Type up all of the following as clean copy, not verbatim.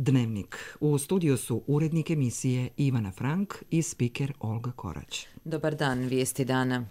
Dnevnik. U studiju su urednik emisije Ivana Frank i spiker Olga Korać. Dobar dan, vijesti dana.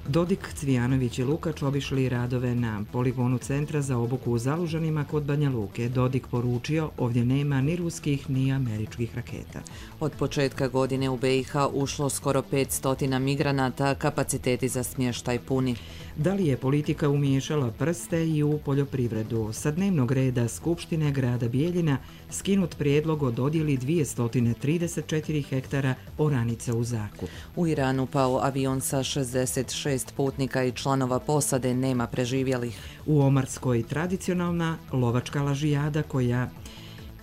Dodik, Cvijanović i Lukač obišli radove na poligonu Centra za obuku u Zalužanima kod Banja Luke. Dodik poručio, ovdje nema ni ruskih ni američkih raketa. Od početka godine u BiH ušlo skoro 500 migranata, kapaciteti za smještaj puni. Da li je politika umiješala prste i u poljoprivredu? Sa dnevnog reda Skupštine grada Bijeljina skinut prijedlog o dodjeli 234 hektara oranica u zakup. U Iranu pao avion sa 66 putnika i članova posade, nema preživjelih. U Omarskoj tradicionalna lovačka lažijada koja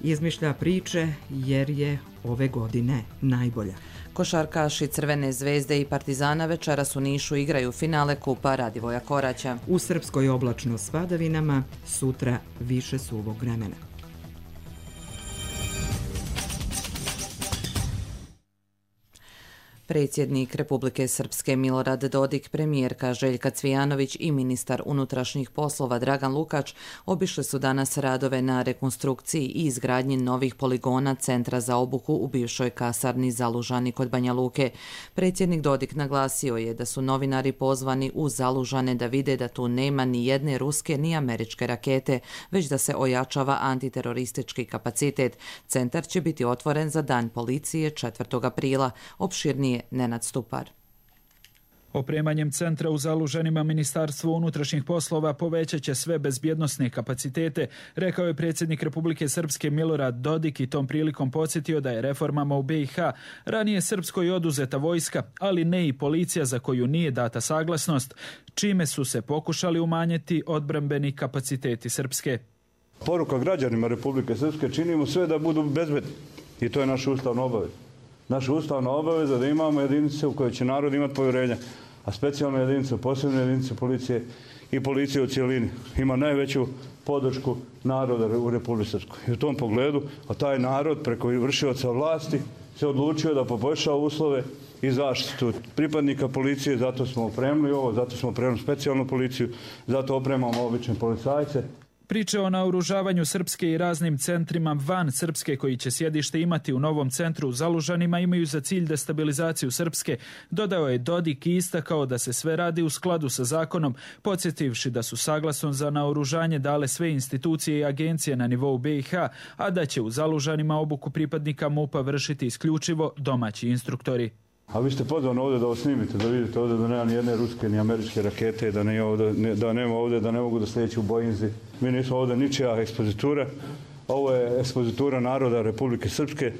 izmišlja priče jer je ove godine najbolja. Košarkaši Crvene zvezde i Partizana večeras u Nišu igraju finale Kupa Radivoja Koraća. U Srpskoj oblačno s padavinama, sutra više suvog vremena. Predsjednik Republike Srpske Milorad Dodik, premijerka Željka Cvijanović i ministar unutrašnjih poslova Dragan Lukač obišli su danas radove na rekonstrukciji i izgradnji novih poligona Centra za obuku u bivšoj kasarni Zalužani kod Banja Luke. Predsjednik Dodik naglasio je da su novinari pozvani u Zalužane da vide da tu nema ni jedne ruske ni američke rakete, već da se ojačava antiteroristički kapacitet. Centar će biti otvoren za Dan policije 4. aprila. Opširnije Nenad Stupar. Opremanjem centra u Zalužanima Ministarstvo unutrašnjih poslova povećat će sve bezbjednosne kapacitete, rekao je predsjednik Republike Srpske Milorad Dodik i tom prilikom podsjetio da je reformama u BiH ranije Srpskoj oduzeta vojska, ali ne i policija za koju nije data saglasnost, čime su se pokušali umanjiti odbrambeni kapaciteti Srpske. Poruka građanima Republike Srpske: činimo sve da budu bezbedni i to je naša ustavna obaveza. Naša ustavna obaveza da imamo jedinice u koje će narod imati povjerenja, a specijalne jedinice, posebne jedinice policije i policije u cjelini ima najveću podršku naroda u Republici Srpskoj. I u tom pogledu, a taj narod preko vršioca vlasti se odlučio da poboljša uslove i zaštitu pripadnika policije, zato smo opremili ovo, zato smo opremili specijalnu policiju, zato opremamo obične policajce. Priče o naoružavanju Srpske i raznim centrima van Srpske koji će sjedište imati u novom centru u Zalužanima imaju za cilj destabilizaciju Srpske, dodao je Dodik i istakao da se sve radi u skladu sa zakonom, podsjetivši da su saglasno za naoružanje dale sve institucije i agencije na nivou BiH, a da će u Zalužanima obuku pripadnika MUP-a vršiti isključivo domaći instruktori. A vi ste pozvani ovdje da ovo snimite, da vidite ovdje da nema ni jedne ruske ni američke rakete, da nema ovdje, da ne mogu da slijeću u Boinzi. Mi nismo ovdje ničija ekspozitura. Ovo je ekspozitura naroda Republike Srpske.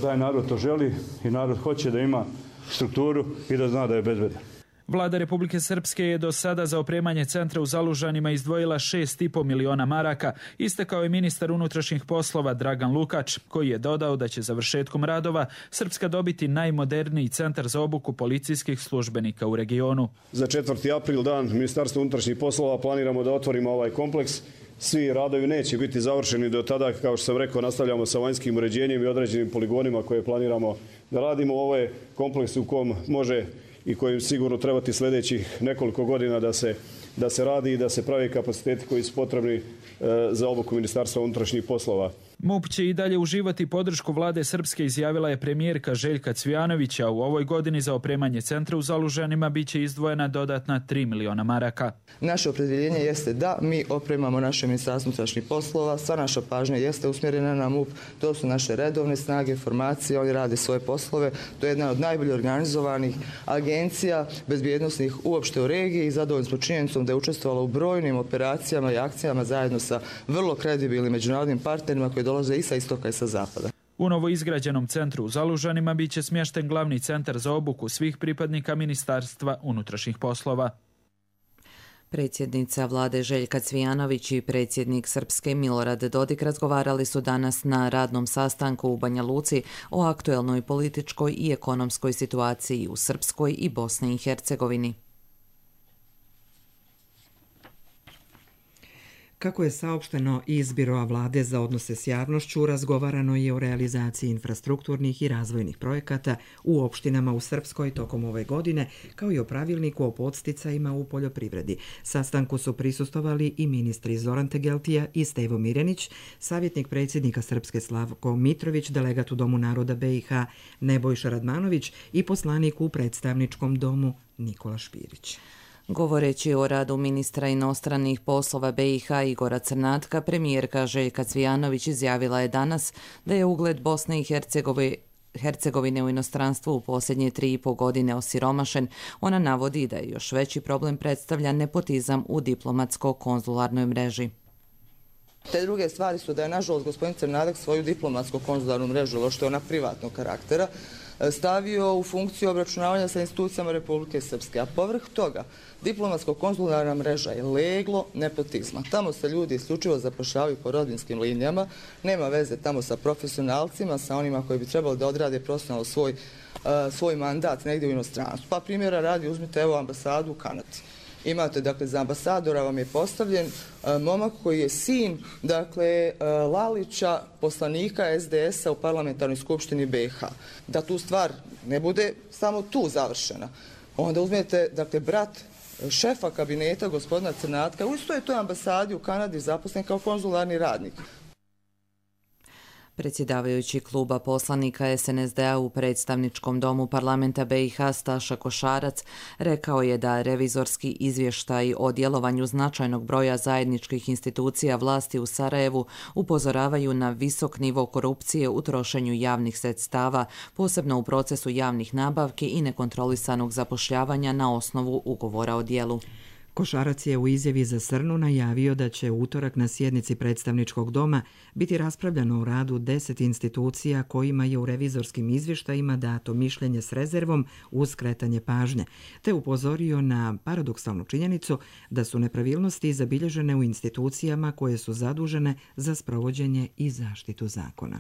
Taj narod to želi i narod hoće da ima strukturu i da zna da je bezbedan. Vlada Republike Srpske je do sada za opremanje centra u Zalužanima izdvojila 6,5 miliona maraka, istakao je ministar unutrašnjih poslova Dragan Lukač, koji je dodao da će završetkom radova Srpska dobiti najmoderniji centar za obuku policijskih službenika u regionu. Za 4. april dan Ministarstva unutrašnjih poslova planiramo da otvorimo ovaj kompleks. Svi radovi neće biti završeni do tada, kao što sam rekao, nastavljamo sa vanjskim uređenjem i određenim poligonima koje planiramo da radimo. Ovo je kompleks u kom može i kojim sigurno trebati sljedećih nekoliko godina da se radi i da se pravi kapaciteti koji su potrebni za obuku Ministarstva unutrašnjih poslova. MUP će i dalje uživati podršku vlade Srpske, izjavila je premijerka Željka Cvijanovića. U ovoj godini za opremanje centra u Zalužanima bit će izdvojena dodatna 3 miliona maraka. Naše opredjeljenje jeste da mi opremamo naše Ministarstvo unutrašnjih poslova, sva naša pažnja jeste usmjerena na MUP, to su naše redovne snage, formacije, oni rade svoje poslove, to je jedna od najbolje organizovanih agencija bezbjednosnih uopšte u regiji i zadovoljni smo činjenicom da je učestvovala u brojnim operacijama i akcijama zajedno sa vrlo kredibilnim međunarodnim partnerima koji dolaze i sa istoka i sa zapada. U novo izgrađenom centru u Zalužanima bit će smješten glavni centar za obuku svih pripadnika Ministarstva unutrašnjih poslova. Predsjednica vlade Željka Cvijanović i predsjednik Srpske Milorad Dodik razgovarali su danas na radnom sastanku u Banja Luci o aktuelnoj političkoj i ekonomskoj situaciji u Srpskoj i Bosni i Hercegovini. Kako je saopšteno iz Biroa vlade za odnose s javnošću, razgovarano je o realizaciji infrastrukturnih i razvojnih projekata u opštinama u Srpskoj tokom ove godine, kao i o pravilniku o podsticajima u poljoprivredi. Sastanku su prisustvovali i ministri Zoran Tegeltija i Stevo Mirenić, savjetnik predsjednika Srpske Slavko Mitrović, delegat u Domu naroda BiH Nebojša Radmanović i poslanik u predstavničkom domu Nikola Špirić. Govoreći o radu ministra inostranih poslova BiH Igora Crnatka, premijerka Željka Cvijanović izjavila je danas da je ugled Bosne i Hercegovine u inostranstvu u posljednje 3,5 godine osiromašen. Ona navodi da je još veći problem predstavlja nepotizam u diplomatsko-konzularnoj mreži. Te druge stvari su da je, nažalost, gospodin Crnadak svoju diplomatsko-konzularnu mrežu, što je ona privatnog karaktera, stavio u funkciju obračunavanja sa institucijama Republike Srpske. A povrh toga, diplomatsko-konzularna mreža je leglo nepotizma. Tamo se ljudi isključivo zapošljavaju po rodbinskim linijama, nema veze tamo sa profesionalcima, sa onima koji bi trebali da odrade profesionalno svoj mandat negdje u inostranstvu. Pa primjera radi, uzmite evo ambasadu u Kanadi. Imate, dakle, za ambasadora vam je postavljen momak koji je sin, dakle, Lalića, poslanika SDS-a u parlamentarnoj skupštini BiH. Da tu stvar ne bude samo tu završena. Onda uzmete, dakle, brat šefa kabineta gospodina Crnatka, u istoj toj ambasadi u Kanadi zaposlen kao konzularni radnik. Predsjedavajući kluba poslanika SNSD-a u predstavničkom domu parlamenta BiH Staša Košarac rekao je da revizorski izvještaj o djelovanju značajnog broja zajedničkih institucija vlasti u Sarajevu upozoravaju na visok nivo korupcije u trošenju javnih sredstava, posebno u procesu javnih nabavki i nekontrolisanog zapošljavanja na osnovu ugovora o djelu. Košarac je u izjavi za Srnu najavio da će u utorak na sjednici predstavničkog doma biti raspravljano o radu 10 institucija kojima je u revizorskim izvještajima dato mišljenje s rezervom uz skretanje pažnje, te upozorio na paradoksalnu činjenicu da su nepravilnosti zabilježene u institucijama koje su zadužene za sprovođenje i zaštitu zakona.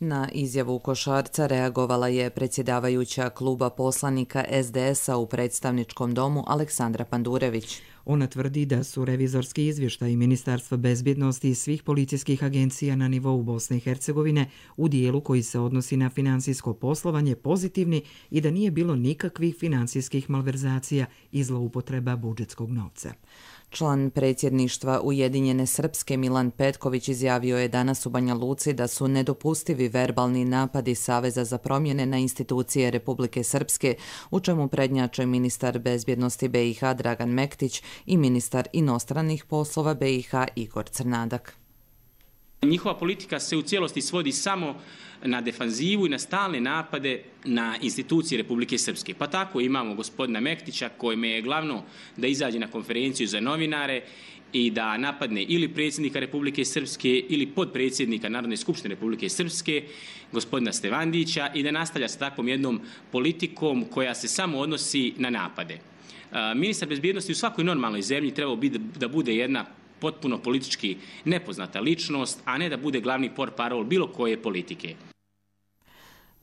Na izjavu Košarca reagovala je predsjedavajuća kluba poslanika SDS-a u predstavničkom domu Aleksandra Pandurević. Ona tvrdi da su revizorski izvještaji Ministarstva bezbjednosti i svih policijskih agencija na nivou Bosne i Hercegovine u dijelu koji se odnosi na financijsko poslovanje pozitivni i da nije bilo nikakvih financijskih malverzacija i zloupotreba budžetskog novca. Član predsjedništva Ujedinjene Srpske Milan Petković izjavio je danas u Banja Luci da su nedopustivi verbalni napadi Saveza za promjene na institucije Republike Srpske, u čemu prednjače ministar bezbjednosti BiH Dragan Mektić i ministar inostranih poslova BiH Igor Crnadak. Njihova politika se u cijelosti svodi samo na defanzivu i na stalne napade na institucije Republike Srpske. Pa tako imamo gospodina Mektića kojime je glavno da izađe na konferenciju za novinare i da napadne ili predsjednika Republike Srpske ili podpredsjednika Narodne skupštine Republike Srpske, gospodina Stevandića, i da nastavlja sa takvom jednom politikom koja se samo odnosi na napade. Ministar bezbjednosti u svakoj normalnoj zemlji trebao bi da bude jedna potpuno politički nepoznata ličnost, a ne da bude glavni portparol bilo koje politike.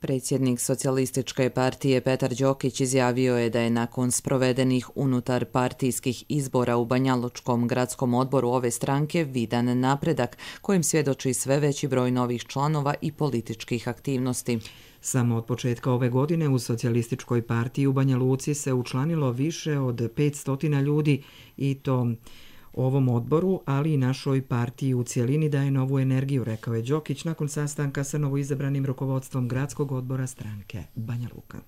Predsjednik Socijalističke partije Petar Đokić izjavio je da je nakon sprovedenih unutar partijskih izbora u Banjalučkom gradskom odboru ove stranke vidan napredak kojim svjedoči sve veći broj novih članova i političkih aktivnosti. Samo od početka ove godine u Socijalističkoj partiji u Banja Luci se učlanilo više od 500 ljudi i to ovom odboru, ali i našoj partiji u cijelini daje novu energiju, rekao je Đokić nakon sastanka sa novoizabranim rukovodstvom gradskog odbora stranke Banja Luka.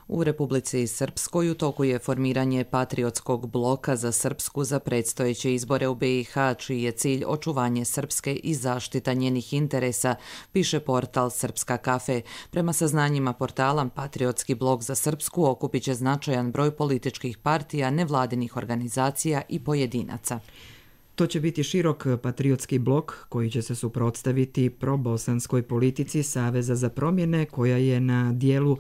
U Republici Srpskoj u toku je formiranje patriotskog bloka za Srpsku za predstojeće izbore u BiH, čiji je cilj očuvanje Srpske i zaštita njenih interesa, piše portal Srpska kafe. Prema saznanjima portala, patriotski blok za Srpsku okupit će značajan broj političkih partija, nevladinih organizacija i pojedinaca. To će biti širok patriotski blok koji će se suprotstaviti probosanskoj politici Saveza za promjene koja je na dijelu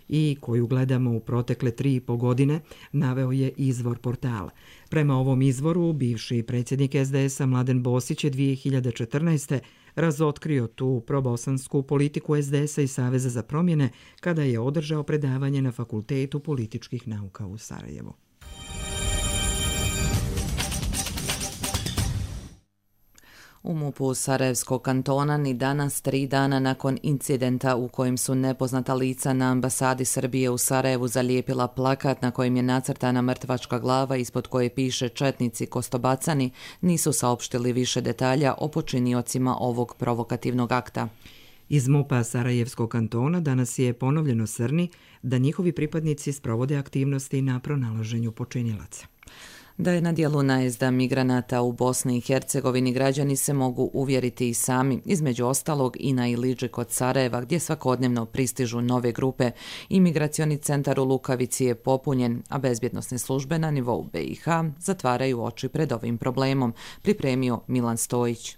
i koju gledamo u protekle 3,5 godine, naveo je izvor portala. Prema ovom izvoru, bivši predsjednik SDS-a Mladen Bosić je 2014. razotkrio tu probosansku politiku SDS-a i Saveza za promjene kada je održao predavanje na Fakultetu političkih nauka u Sarajevu. U MUP-u Sarajevskog kantona ni danas, 3 dana nakon incidenta u kojem su nepoznata lica na ambasadi Srbije u Sarajevu zalijepila plakat na kojem je nacrtana mrtvačka glava ispod koje piše četnici Kostobacani, nisu saopštili više detalja o počiniocima ovog provokativnog akta. Iz MUP-a Sarajevskog kantona danas je ponovljeno srni da njihovi pripadnici sprovode aktivnosti na pronalaženju počinilaca. Da je na djelu najezda migranata u Bosni i Hercegovini građani se mogu uvjeriti i sami, između ostalog i na Iliđi kod Sarajeva gdje svakodnevno pristižu nove grupe. Imigracioni centar u Lukavici je popunjen, a bezbjednosne službe na nivou BiH zatvaraju oči pred ovim problemom, pripremio Milan Stojić.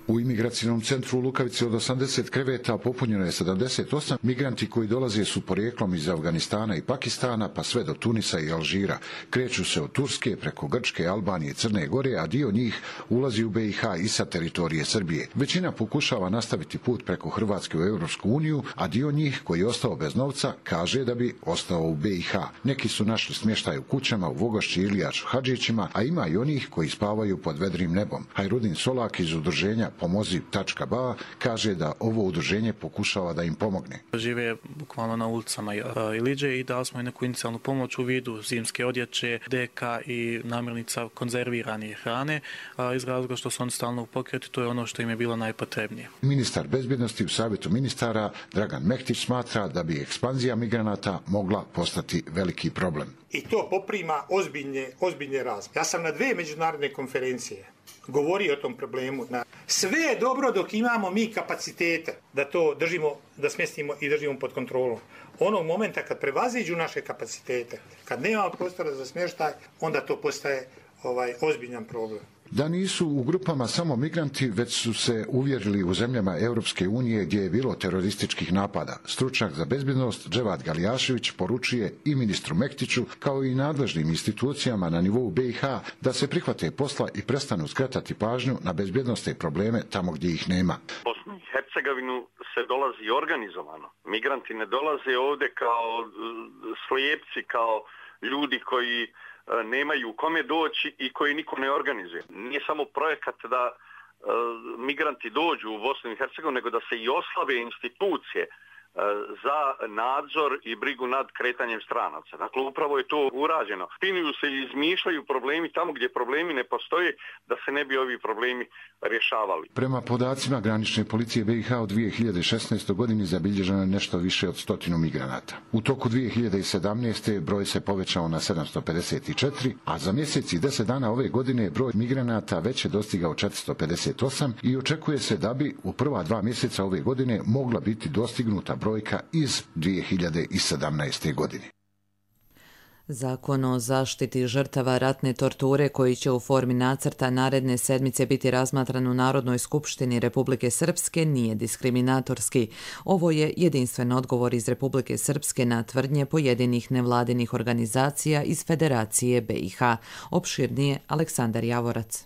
U imigracijnom centru u Lukavici od 80 kreveta popunjeno je 78. Migranti koji dolaze su porijeklom iz Afganistana i Pakistana pa sve do Tunisa i Alžira. Kreću se od Turske preko Grčke, Albanije i Crne Gore, a dio njih ulazi u BiH i sa teritorije Srbije. Većina pokušava nastaviti put preko Hrvatske u Europsku uniju, a dio njih koji je ostao bez novca kaže da bi ostao u BiH. Neki su našli smještaj u kućama u Vogošći, Ilijaču, Hadžićima, a ima i onih koji spavaju pod vedrim nebom. Hajrudin Solak iz udruženja Pomozi.ba kaže da ovo udruženje pokušava da im pomogne. Žive bukvalno na ulicama Iliđe i dali smo i neku inicijalnu pomoć u vidu zimske odjeće, deka i namirnica konzervirane hrane, iz razloga što su oni stalno u pokretu, to je ono što im je bilo najpotrebnije. Ministar bezbjednosti u Savjetu ministara Dragan Mektić smatra da bi ekspanzija migranata mogla postati veliki problem. I to poprima ozbiljne razmjere. Ja sam na 2 međunarodne konferencije govori o tom problemu. Sve je dobro dok imamo mi kapacitete da to držimo, da smjestimo i držimo pod kontrolom. Onog momenta kad prevaziđu naše kapacitete, kad nema prostora za smještaj, onda to postaje ozbiljan problem. Da nisu u grupama samo migranti, već su se uvjerili u zemljama Europske unije gdje je bilo terorističkih napada. Stručnjak za bezbjednost Dževad Galijašević poručuje i ministru Mektiću kao i nadležnim institucijama na nivou BiH da se prihvate posla i prestanu skretati pažnju na bezbjednosne probleme tamo gdje ih nema. Bosnu i Hercegovinu se dolazi organizovano. Migranti ne dolaze ovdje kao slijepci, kao ljudi koji nemaju kome doći i koji niko ne organizuje. Nije samo projekat da migranti dođu u Bosnu i Hercegovinu, nego da se i oslabe institucije za nadzor i brigu nad kretanjem stranaca. Dakle, upravo je to urađeno. Spinuju se i izmišljaju problemi tamo gdje problemi ne postoje, da se ne bi ovi problemi rješavali. Prema podacima granične policije BiH u 2016. godini zabilježeno je nešto više od 100 migranata. U toku 2017. broj se povećao na 754, a za mjesec i 10 dana ove godine broj migranata već je dostigao 458 i očekuje se da bi u prva 2 mjeseca ove godine mogla biti dostignuta brojka iz 2017. godine. Zakon o zaštiti žrtava ratne torture koji će u formi nacrta naredne sedmice biti razmatran u Narodnoj skupštini Republike Srpske nije diskriminatorski. Ovo je jedinstven odgovor iz Republike Srpske na tvrdnje pojedinih nevladinih organizacija iz Federacije BiH. Opširnije Aleksandar Javorac.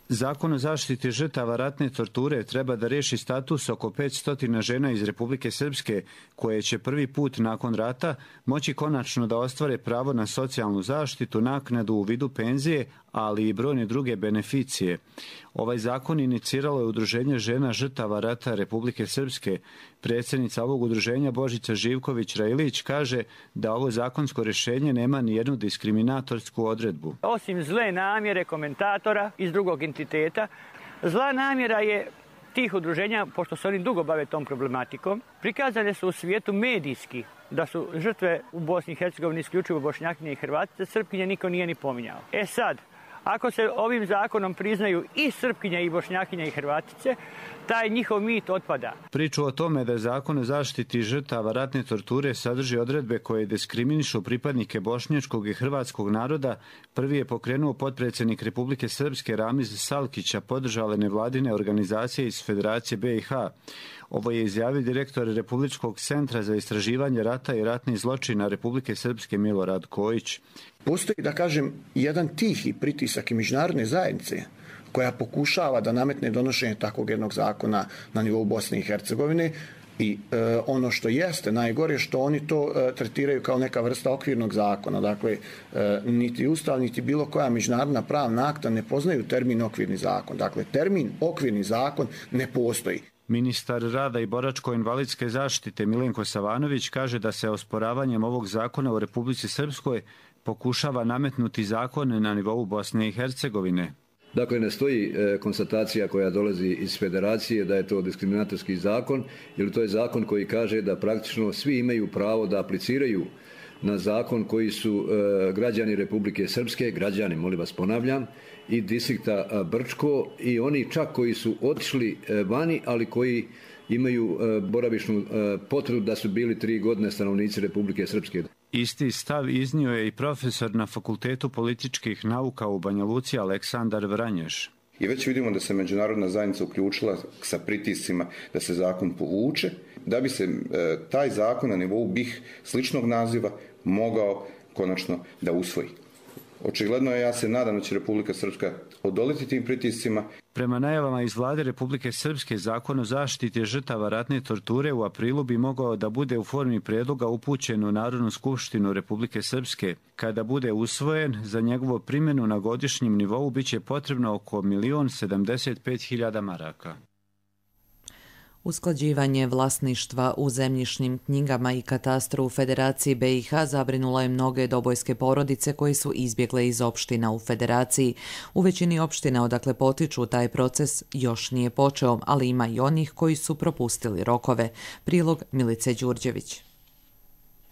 Zakon o zaštiti žrtava ratne torture treba da riješi status oko 500 žena iz Republike Srpske koje će prvi put nakon rata moći konačno da ostvare pravo na socijalnu zaštitu, naknadu u vidu penzije, ali i brojne druge beneficije. Ovaj zakon iniciralo je Udruženje žena žrtava rata Republike Srpske. Predsjednica ovog udruženja Božica Živković-Railić kaže da ovo zakonsko rješenje nema ni jednu diskriminatorsku odredbu. Osim zle namjere komentatora iz drugog entiteta, zla namjera je tih udruženja, pošto se oni dugo bave tom problematikom, prikazane su u svijetu medijski da su žrtve u Bosni i Hercegovini isključivo Bošnjakinje i Hrvatice, Srpkinje niko nije ni pominjao. Sad, ako se ovim zakonom priznaju i Srpkinje i Bošnjakinje i Hrvatice, taj njihov mit otpada. Priču o tome da Zakon o zaštiti žrtava ratne torture sadrži odredbe koje diskriminišu pripadnike bošnjačkog i hrvatskog naroda, prvi je pokrenuo potpredsjednik Republike Srpske Ramiz Salkića, podržale nevladine organizacije iz Federacije BiH. Ovo je izjavio direktor Republičkog centra za istraživanje rata i ratnih zločina Republike Srpske Milorad Kojić. Postoji, da kažem, jedan tihi pritisak i međunarodne zajednice koja pokušava da nametne donošenje takvog jednog zakona na nivou Bosne i Hercegovine, I ono što jeste najgore što oni to tretiraju kao neka vrsta okvirnog zakona. Dakle, niti Ustav, niti bilo koja međunarodna pravna akta ne poznaju termin okvirni zakon. Dakle, termin okvirni zakon ne postoji. Ministar rada i boračko-invalidske zaštite Milenko Savanović kaže da se osporavanjem ovog zakona u Republici Srpskoj pokušava nametnuti zakone na nivou Bosne i Hercegovine. Dakle, ne stoji konstatacija koja dolazi iz federacije da je to diskriminatorski zakon, jer to je zakon koji kaže da praktično svi imaju pravo da apliciraju na zakon koji su građani Republike Srpske, građani, molim vas ponavljam, i distrikta Brčko i oni čak koji su otišli vani, ali koji imaju boravišnu potvrdu da su bili 3 godine stanovnici Republike Srpske. Isti stav iznio je i profesor na Fakultetu političkih nauka u Banja Luci Aleksandar Vranješ. I već vidimo da se međunarodna zajednica uključila sa pritiscima da se zakon povuče, da bi se taj zakon na nivou BiH sličnog naziva mogao konačno da usvoji. Očigledno je, ja se nadam da će Republika Srpska odoliti tim pritiscima. Prema najavama iz vlade Republike Srpske, zakon o zaštiti žrtava ratne torture u aprilu bi mogao da bude u formi prijedloga upućen u Narodnu skupštinu Republike Srpske. Kada bude usvojen, za njegovu primjenu na godišnjem nivou biće potrebno oko 1.075.000 maraka. Usklađivanje vlasništva u zemljišnim knjigama i katastru u Federaciji BiH zabrinulo je mnoge dobojske porodice koji su izbjegle iz opština u Federaciji. U većini opština odakle potiču taj proces još nije počeo, ali ima i onih koji su propustili rokove. Prilog Milice Đurđević.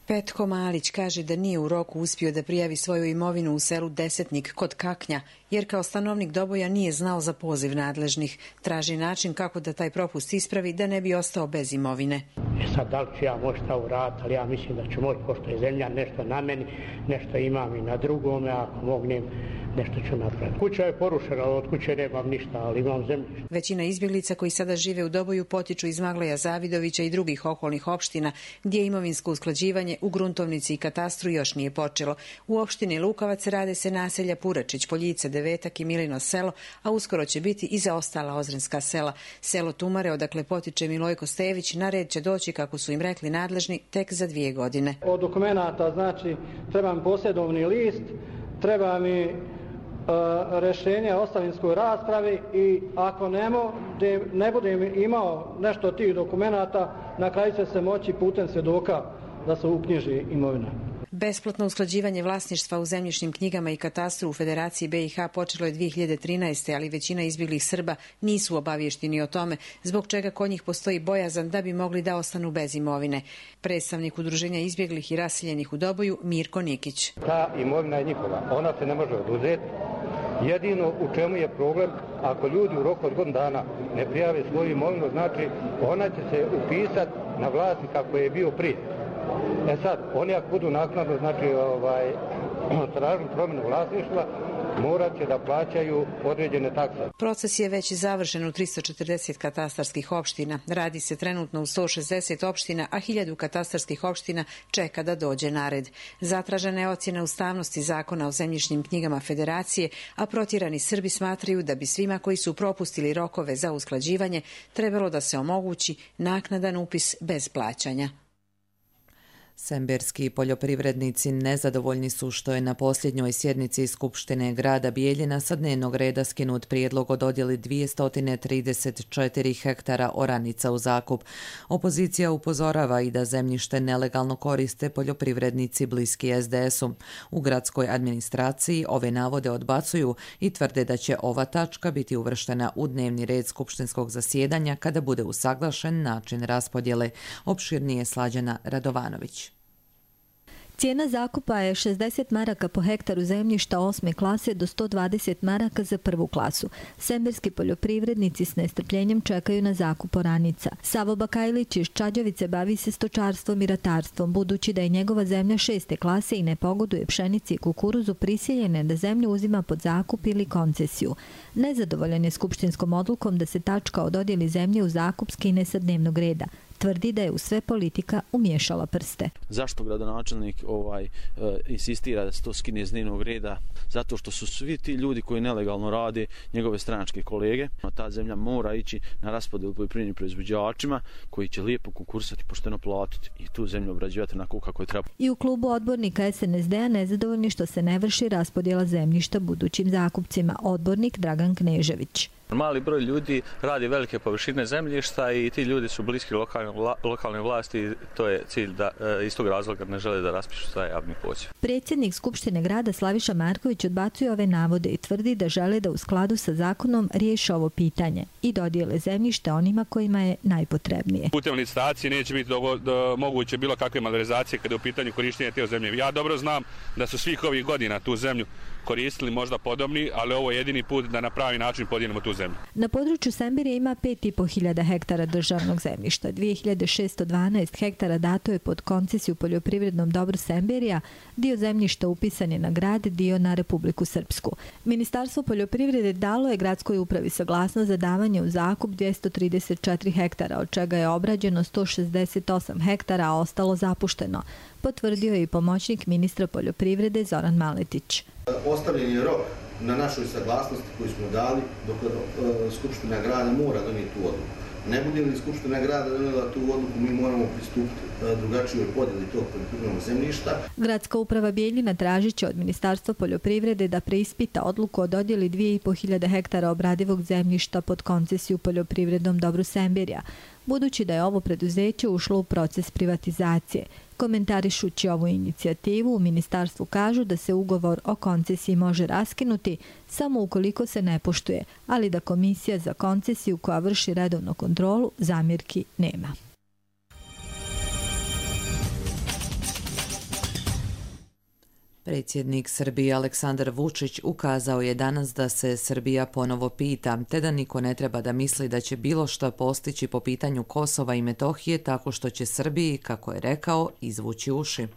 Petko Malić kaže da nije u roku uspio da prijavi svoju imovinu u selu Desetnik kod Kaknja, jer kao stanovnik Doboja nije znao za poziv nadležnih. Traži način kako da taj propust ispravi da ne bi ostao bez imovine. Sad, da li ću ja moći šta uraditi, ali ja mislim da ću moći, pošto je zemlja nešto na meni, nešto imam i na drugome, ako mognem, nešto ću napraviti. Kuća je porušena, od kuće nemam ništa, ali imam zemljište. Većina izbjeglica koji sada žive u Doboju potiču iz Magleja Zavidovića i drugih okolnih opština, gdje imovinsko usklađivanje u gruntovnici i katastru još nije počelo. U opštini Lukavac rade se naselja Puračić, Poljice, Devetak i Milino selo, a uskoro će biti i za ostala ozrenska sela. Selo Tumare, odakle potiče Milojko Stević, na red će doći, kako su im rekli nadležni, tek za 2 godine. Od dokumenta, znači, treba mi posjedovni list, treba mi rješenje o ostavinskoj raspravi i ako ne budem imao nešto od tih dokumenata, na kraju će se moći putem svjedoka da se uknjiži imovina. Besplatno usklađivanje vlasništva u zemljišnim knjigama i katastru u Federaciji BiH počelo je 2013. ali većina izbjeglih Srba nisu obavješteni o tome, zbog čega kod njih postoji bojazan da bi mogli da ostanu bez imovine. Predstavnik Udruženja izbjeglih i raseljenih u Doboju Mirko Nikić. Ta imovina je njihova, ona se ne može oduzeti. Jedino u čemu je problem, ako ljudi u roku od godinu dana ne prijave svoju imovinu, znači ona će se upisati na vlasnika koji je bio prije. Sad, oni ako budu naknadno, znači, tražili promjenu vlasništva, morat će da plaćaju određene takse. Proces je već završen u 340 katastarskih opština. Radi se trenutno u 160 opština, a 1000 katastarskih opština čeka da dođe na red. Zatražena je ocjena ustavnosti zakona o zemljišnim knjigama Federacije, a protjerani Srbi smatraju da bi svima koji su propustili rokove za usklađivanje trebalo da se omogući naknadan upis bez plaćanja. Semberski poljoprivrednici nezadovoljni su što je na posljednjoj sjednici Skupštine grada Bijeljina sa dnevnog reda skinut prijedlog o dodjeli 234 hektara oranica u zakup. Opozicija upozorava i da zemljište nelegalno koriste poljoprivrednici bliski SDS-u. U gradskoj administraciji ove navode odbacuju i tvrde da će ova tačka biti uvrštena u dnevni red skupštinskog zasjedanja kada bude usaglašen način raspodjele. Opširnije Slađana Radovanović. Cijena zakupa je 60 maraka po hektaru zemljišta 8. klase do 120 maraka za 1. klasu. Semberski poljoprivrednici s nestrpljenjem čekaju na zakup oranica. Savo Bakajlić iz Čađavice bavi se stočarstvom i ratarstvom, budući da je njegova zemlja 6. klase i ne pogoduje pšenici i kukuruzu, prisiljene da zemlju uzima pod zakup ili koncesiju. Nezadovoljan je skupštinskom odlukom da se tačka o dodjeli zemlje u zakup skine sa dnevnog reda. Tvrdi da je u sve politika umiješala prste. Zašto gradonačelnik insistira da se to skine iz dnevnog reda? Zato što su svi ti ljudi koji nelegalno rade njegove stranačke kolege. Ta zemlja mora ići na raspodjelu poljoprivrednim proizvođačima koji će lijepo konkursati, pošteno platiti i tu zemlju obrađivati onako kako je treba. I u klubu odbornika SNSD-a nezadovoljni što se ne vrši raspodjela zemljišta budućim zakupcima. Odbornik Dragan Knežević. Mali broj ljudi radi velike površine zemljišta i ti ljudi su bliski lokalne vlasti i to je cilj da iz tog razloga ne žele da raspišu taj javni poziv. Predsjednik Skupštine grada Slaviša Marković odbacuje ove navode i tvrdi da žele da u skladu sa zakonom riješe ovo pitanje i dodijele zemljište onima kojima je najpotrebnije. Putem licitacije neće biti moguće bilo kakve malverzacije kada je u pitanju korištenja te zemlje. Ja dobro znam da su svih ovih godina tu zemlju koristili možda podobni, ali ovo je jedini put da na pravi način podijelimo tu zemlju. Na području Semberije ima 5.500 hektara državnog zemljišta. 2612 hektara dato je pod koncesiju poljoprivrednom dobru Semberija, dio zemljišta upisan je na grad, dio na Republiku Srpsku. Ministarstvo poljoprivrede dalo je gradskoj upravi saglasnost za davanje u zakup 234 hektara, od čega je obrađeno 168 hektara, a ostalo zapušteno, potvrdio je i pomoćnik ministra poljoprivrede Zoran Maletić. Ostavljen je rok na našoj saglasnosti koju smo dali dok Skupština grada mora donijeti tu odluku. Ne bude li Skupština grada donijela tu odluku, mi moramo pristupiti drugačijoj podjeli tog poljoprivrednog zemljišta. Gradska uprava Bijeljina tražit će od Ministarstva poljoprivrede da preispita odluku o dodjeli 2.500 hektara obradivog zemljišta pod koncesiju poljoprivrednom dobru Semberija, budući da je ovo preduzeće ušlo u proces privatizacije. Komentarišući ovu inicijativu, u ministarstvu kažu da se ugovor o koncesiji može raskinuti samo ukoliko se ne poštuje, ali da komisija za koncesiju koja vrši redovnu kontrolu zamjerki nema. Predsjednik Srbije Aleksandar Vučić ukazao je danas da se Srbija ponovo pita, te da niko ne treba da misli da će bilo što postići po pitanju Kosova i Metohije tako što će Srbiji, kako je rekao, izvući uši.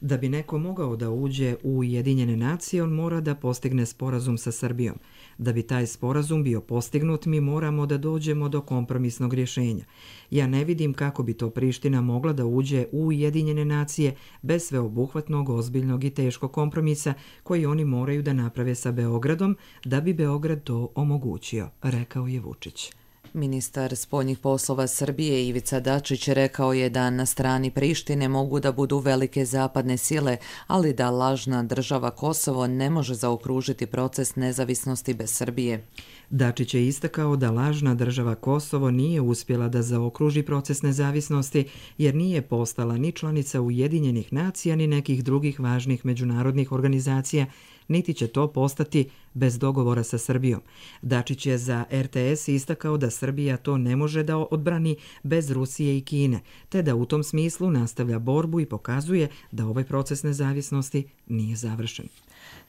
Da bi neko mogao da uđe u Ujedinjene nacije, on mora da postigne sporazum sa Srbijom. Da bi taj sporazum bio postignut, mi moramo da dođemo do kompromisnog rješenja. Ja ne vidim kako bi to Priština mogla da uđe u Ujedinjene nacije bez sveobuhvatnog, ozbiljnog i teškog kompromisa koji oni moraju da naprave sa Beogradom da bi Beograd to omogućio, rekao je Vučić. Ministar spoljnih poslova Srbije Ivica Dačić rekao je da na strani Prištine mogu da budu velike zapadne sile, ali da lažna država Kosovo ne može zaokružiti proces nezavisnosti bez Srbije. Dačić je istakao da lažna država Kosovo nije uspjela da zaokruži proces nezavisnosti jer nije postala ni članica Ujedinjenih nacija ni nekih drugih važnih međunarodnih organizacija, niti će to postati bez dogovora sa Srbijom. Dačić je za RTS istakao da Srbija to ne može da odbrani bez Rusije i Kine, te da u tom smislu nastavlja borbu i pokazuje da ovaj proces nezavisnosti nije završen.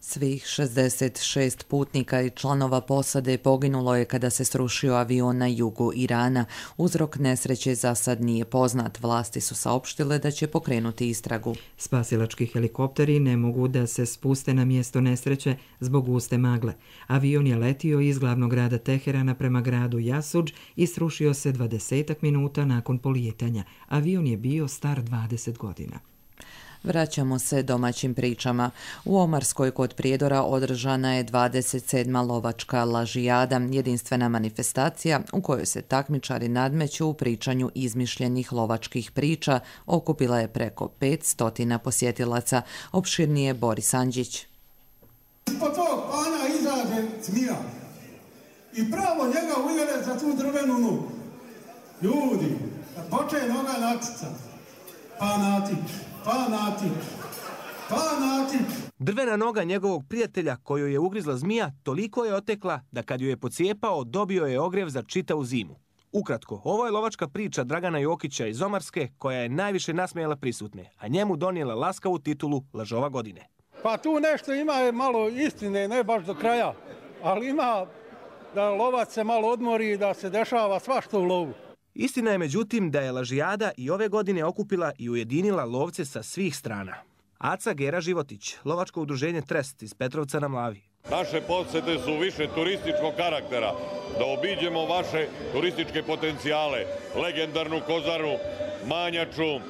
Svih 66 putnika i članova posade poginulo je kada se srušio avion na jugu Irana. Uzrok nesreće za sad nije poznat. Vlasti su saopštile da će pokrenuti istragu. Spasilački helikopteri ne mogu da se spuste na mjesto nesreće zbog guste magle. Avion je letio iz glavnog grada Teherana prema gradu Jasudž i srušio se 20 minuta nakon polijetanja. Avion je bio star 20 godina. Vraćamo se domaćim pričama. U Omarskoj kod Prijedora održana je 27. lovačka lažijada, jedinstvena manifestacija u kojoj se takmičari nadmeću u pričanju izmišljenih lovačkih priča. Okupila je preko 500 posjetilaca. Opširnije Boris Andžić. Ispod tog pana izađe zmija i pravo njega uvjere za tu drvenu nogu. Ljudi, kad počne noga natica, pa natič. Drvena noga njegovog prijatelja koju je ugrizla zmija toliko je otekla da kad ju je pocijepao dobio je ogrjev za čitavu zimu. Ukratko, ovo je lovačka priča Dragana Jokića iz Omarske koja je najviše nasmejala prisutne, a njemu donijela laskavu titulu Lažova godine. Pa tu nešto ima malo istine, ne baš do kraja, ali ima da lovac se malo odmori i da se dešava svašta u lovu. Istina je međutim da je lažijada i ove godine okupila i ujedinila lovce sa svih strana. Aca Gera Životić, lovačko udruženje Trest iz Petrovca na Mlavi. Naše posete su više turističkog karaktera, da obiđemo vaše turističke potencijale, legendarnu Kozaru, Manjaču,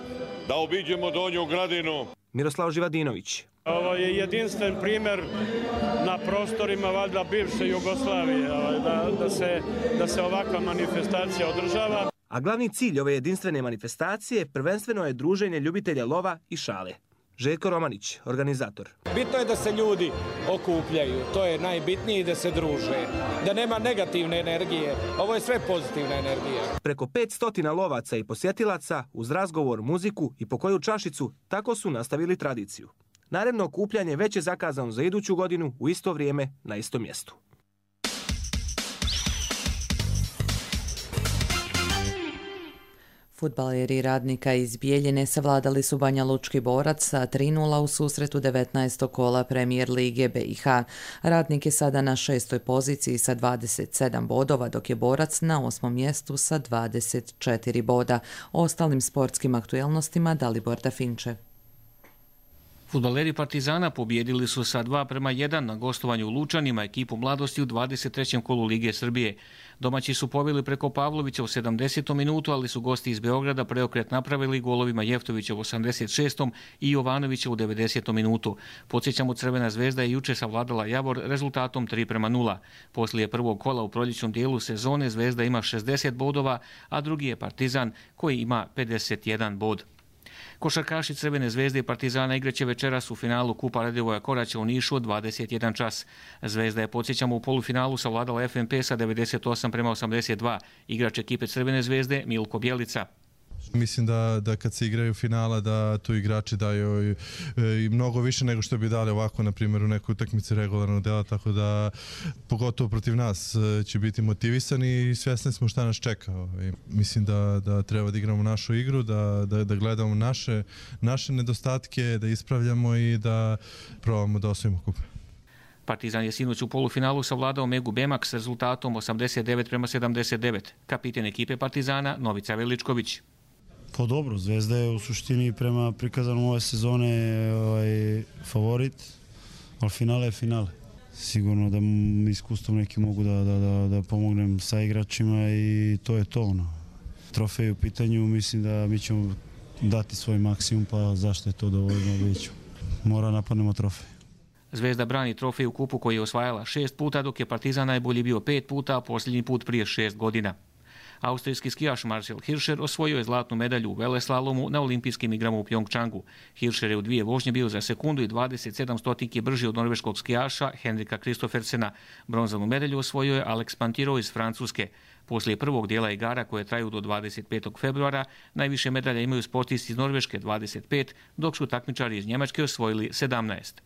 da obiđemo Donju Gradinu. Miroslav Živadinović. Ovo je jedinstven primjer na prostorima valjda bivše Jugoslavije, da se ovakva manifestacija održava. A glavni cilj ove jedinstvene manifestacije prvenstveno je druženje ljubitelja lova i šale. Željko Romanić, organizator. Bitno je da se ljudi okupljaju, to je najbitnije, da se druže, da nema negativne energije. Ovo je sve pozitivna energija. Preko 500 lovaca i posjetilaca uz razgovor, muziku i po koju čašicu tako su nastavili tradiciju. Naredno okupljanje već je zakazano za iduću godinu u isto vrijeme na istom mjestu. Fudbaleri Radnika iz Bijeljine savladali su Banjalučki Borac sa 3:0 u susretu 19. kola Premijer Lige BiH. Radnik je sada na 6. poziciji sa 27 bodova, dok je Borac na 8. mjestu sa 24 boda. O ostalim sportskim aktuelnostima Dalibor Dafinče. Fudbaleri Partizana pobijedili su sa 2:1 na gostovanju u Lučanima ekipu Mladosti u 23. kolu Lige Srbije. Domaći su pobjeli preko Pavlovića u 70. minutu, ali su gosti iz Beograda preokret napravili golovima Jeftovića u 86. i Jovanovića u 90. minutu. Podsjećamo, Crvena zvezda je juče savladala Javor rezultatom 3:0. Poslije prvog kola u proljećnom dijelu sezone Zvezda ima 60 bodova, a drugi je Partizan koji ima 51 bod. Košarkaši Crvene zvezde i Partizana igraće večeras u finalu Kupa Radivoja Koraća u Nišu od 21 čas. Zvezda je, podsjećamo, u polufinalu savladala FNP sa 98:82. Igrač ekipe Crvene zvezde Milko Bjelica. Mislim da kad se igraju finala da tu igrači daju i mnogo više nego što bi dali ovako, na primjer, u nekoj utakmici regularnog dela, tako da pogotovo protiv nas će biti motivisani i svjesni smo šta nas čeka. Mislim da treba da igramo našu igru, da gledamo naše nedostatke, da ispravljamo i da probamo da osvojimo kup. Partizan je sinoć u polufinalu savladao Megu Bemak s rezultatom 89:79. Kapiten ekipe Partizana Novica Veličković. Pa dobro, Zvezda je u suštini prema prikazanom ove sezone favorit, ali finale je finale. Sigurno da iskustvom neki mogu da pomognem sa igračima i to je to. Trofej u pitanju, mislim da mi ćemo dati svoj maksimum, pa zašto je to dovoljno, vidjet ću. Mora napadnemo trofej. Zvezda brani trofej u kupu koji je osvajala 6 puta, dok je Partizan najbolji bio 5 puta, a posljednji put prije 6 godina. Austrijski skijaš Marcel Hirscher osvojio je zlatnu medalju u veleslalomu na olimpijskim igrama u Pjongčangu. Hirscher je u 2 vožnje bio za sekundu i 27 stotinki brži od norveškog skijaša Henrika Kristoffersena. Bronzanu medalju osvojio je Alex Pantiro iz Francuske. Poslije prvog dijela igara koje traju do 25. februara, najviše medalja imaju sportisti iz Norveške 25, dok su takmičari iz Njemačke osvojili 17.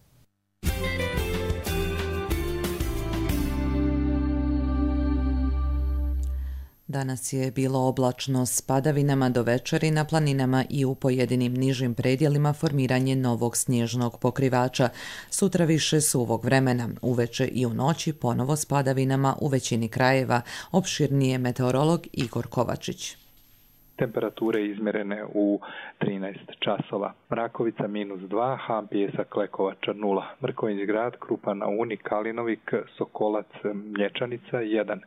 Danas je bilo oblačno s padavinama do večeri na planinama i u pojedinim nižim predjelima formiranje novog snježnog pokrivača. Sutra više suvog vremena, uveče i u noći ponovo s padavinama u većini krajeva. Opširnije meteorolog Igor Kovačić. Temperature izmjerene u 13 časova. Mrakovica -2, Han Pijesak Lekovača 0, Mrkovinj grad, Krupa na Uni, Kalinovik, Sokolac, Mlječanica 1,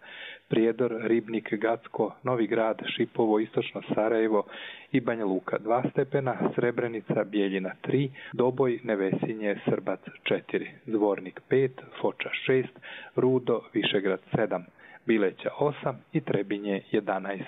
Prijedor, Ribnik, Gacko, Novi grad, Šipovo, Istočno Sarajevo i Banja Luka 2 stepena, Srebrenica, Bijeljina 3, Doboj, Nevesinje, Srbac 4, Zvornik 5, Foča 6, Rudo, Višegrad 7, Bileća 8 i Trebinje 11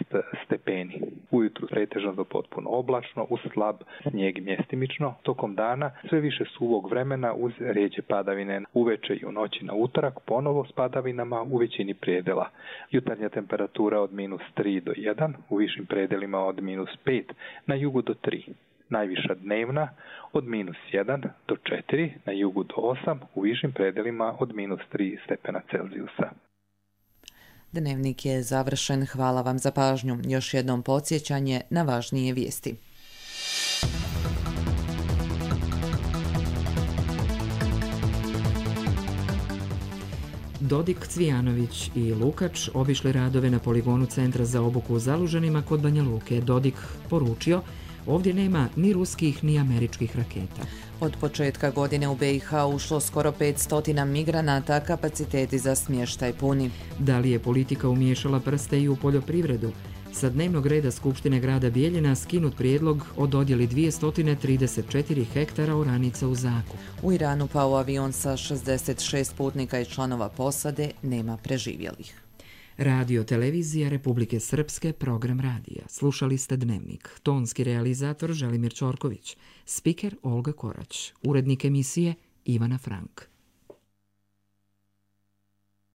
stepeni. Ujutru pretežno do potpuno oblačno, uz slab snijeg mjestimično. Tokom dana sve više suvog vremena uz rijeđe padavine. Uveče i u noći na utorak ponovo s padavinama u većini predela. Jutarnja temperatura od -3 do 1, u višim predelima od -5, na jugu do 3. Najviša dnevna od -1 do 4, na jugu do 8, u višim predelima od -3 stepena Celzijusa. Dnevnik je završen. Hvala vam za pažnju. Još jednom podsjećanje na važnije vijesti. Dodik, Cvijanović i Lukač obišli radove na poligonu Centra za obuku u Zalužanima kod Banja Luke. Dodik poručio: Ovdje nema ni ruskih ni američkih raketa. Od početka godine u BiH ušlo skoro 500 migranata, kapaciteti za smještaj puni. Da li je politika umiješala prste i u poljoprivredu? Sa dnevnog reda Skupštine grada Bijeljina skinut prijedlog o dodjeli 234 hektara oranica u zakup. U Iranu pao avion sa 66 putnika i članova posade, nema preživjelih. Radio televizija Republike Srpske, program radija. Slušali ste Dnevnik. Tonski realizator Želimir Ćorković. Spiker Olga Korać. Urednik emisije Ivana Frank.